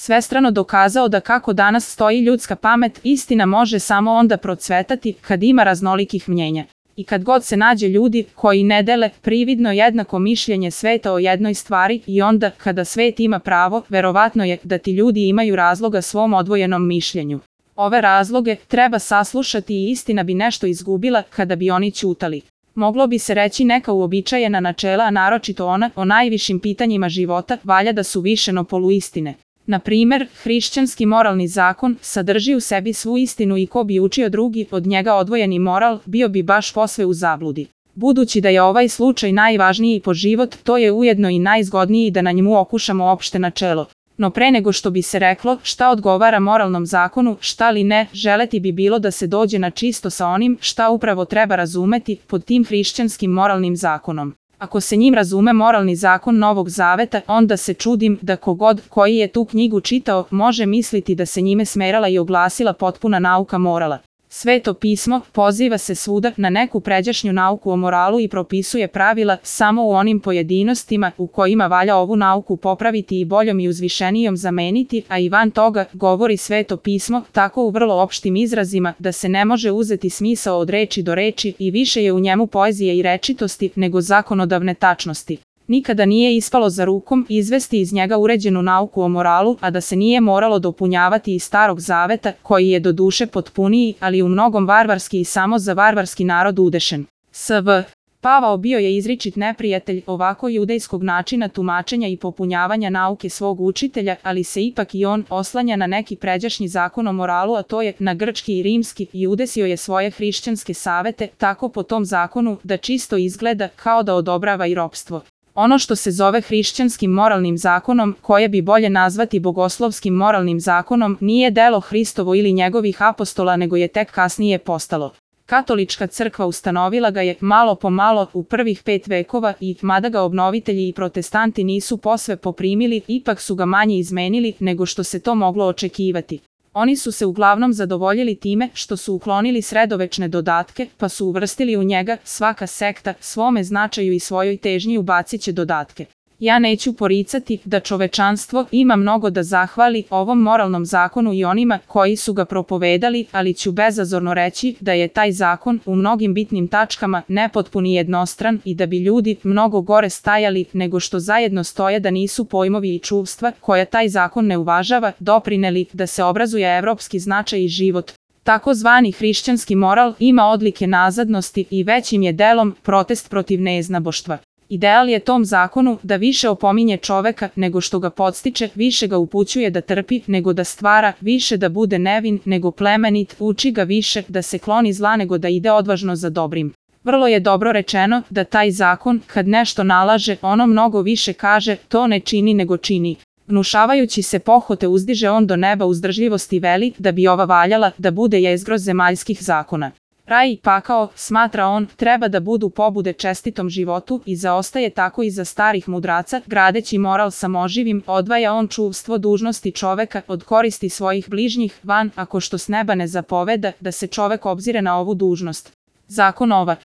svestrano dokazao da kako danas stoji ljudska pamet, istina može samo onda procvetati kad ima raznolikih mnjenja. I kad god se nađe ljudi koji ne dele prividno jednako mišljenje sveta o jednoj stvari i onda kada svet ima pravo, verovatno je da ti ljudi imaju razloga svom odvojenom mišljenju. Ove razloge treba saslušati i istina bi nešto izgubila kada bi oni ćutali. Moglo bi se reći neka uobičajena načela, a naročito ona o najvišim pitanjima života, valja da su više no poluistine. Na primer, hrišćanski moralni zakon sadrži u sebi svu istinu i ko bi učio drugi od njega odvojeni moral, bio bi baš posve u zabludi. Budući da je ovaj slučaj najvažniji po život, to je ujedno i najzgodniji da na njemu okušamo opšte načelo. No pre nego što bi se reklo šta odgovara moralnom zakonu, šta li ne, želeti bi bilo da se dođe na čisto sa onim šta upravo treba razumeti pod tim hrišćanskim moralnim zakonom. Ako se njim razume moralni zakon Novog Zaveta, onda se čudim da kogod koji je tu knjigu čitao može misliti da se njime smerala i oglasila potpuna nauka morala. Sveto pismo poziva se svuda na neku pređašnju nauku o moralu i propisuje pravila samo u onim pojedinostima u kojima valja ovu nauku popraviti i boljom i uzvišenijom zameniti, a i van toga govori Sveto pismo tako u vrlo opštim izrazima da se ne može uzeti smisao od reči do reči i više je u njemu poezije i rečitosti nego zakonodavne tačnosti. Nikada nije ispalo za rukom izvesti iz njega uređenu nauku o moralu, a da se nije moralo dopunjavati iz Starog Zaveta, koji je doduše potpuniji, ali u mnogom varvarski i samo za varvarski narod udešen. S.V. Pavao bio je izričit neprijatelj ovako judejskog načina tumačenja i popunjavanja nauke svog učitelja, ali se ipak i on oslanja na neki pređašnji zakon o moralu, a to je na grčki i rimski, i udesio je svoje hrišćanske savete tako po tom zakonu da čisto izgleda kao da odobrava i ropstvo. Ono što se zove hrišćanskim moralnim zakonom, koje bi bolje nazvati bogoslovskim moralnim zakonom, nije delo Hristovo ili njegovih apostola, nego je tek kasnije postalo. Katolička crkva ustanovila ga je malo po malo u prvih 5 vekova i, mada ga obnovitelji i protestanti nisu posve poprimili, ipak su ga manje izmenili nego što se to moglo očekivati. Oni su se uglavnom zadovoljili time što su uklonili sredovečne dodatke, pa su uvrstili u njega svaka sekta svome značaju i svojoj težnji ubacit će dodatke. Ja neću poricati da čovečanstvo ima mnogo da zahvali ovom moralnom zakonu i onima koji su ga propovedali, ali ću bezazorno reći da je taj zakon u mnogim bitnim tačkama nepotpun i jednostran i da bi ljudi mnogo gore stajali nego što zajedno stoje da nisu pojmovi i čuvstva koja taj zakon ne uvažava doprineli da se obrazuje evropski značaj i život. Takozvani hrišćanski moral ima odlike nazadnosti i većim je delom protest protiv neznaboštva. Ideal je tom zakonu da više opominje čoveka nego što ga podstiče, više ga upućuje da trpi nego da stvara, više da bude nevin nego plemenit, uči ga više da se kloni zla nego da ide odvažno za dobrim. Vrlo je dobro rečeno da taj zakon, kad nešto nalaže, ono mnogo više kaže, to ne čini nego čini. Vnušavajući se pohote uzdiže on do neba uzdržljivosti veli da bi ova valjala da bude jezgro zemaljskih zakona. Raj i pakao, smatra on, treba da budu pobude čestitom životu i zaostaje tako iza starih mudraca, gradeći moral samoživim, odvaja on čuvstvo dužnosti čoveka od koristi svojih bližnjih, van, ako što s neba ne zapoveda, da se čovek obzire na ovu dužnost. Zakon ova.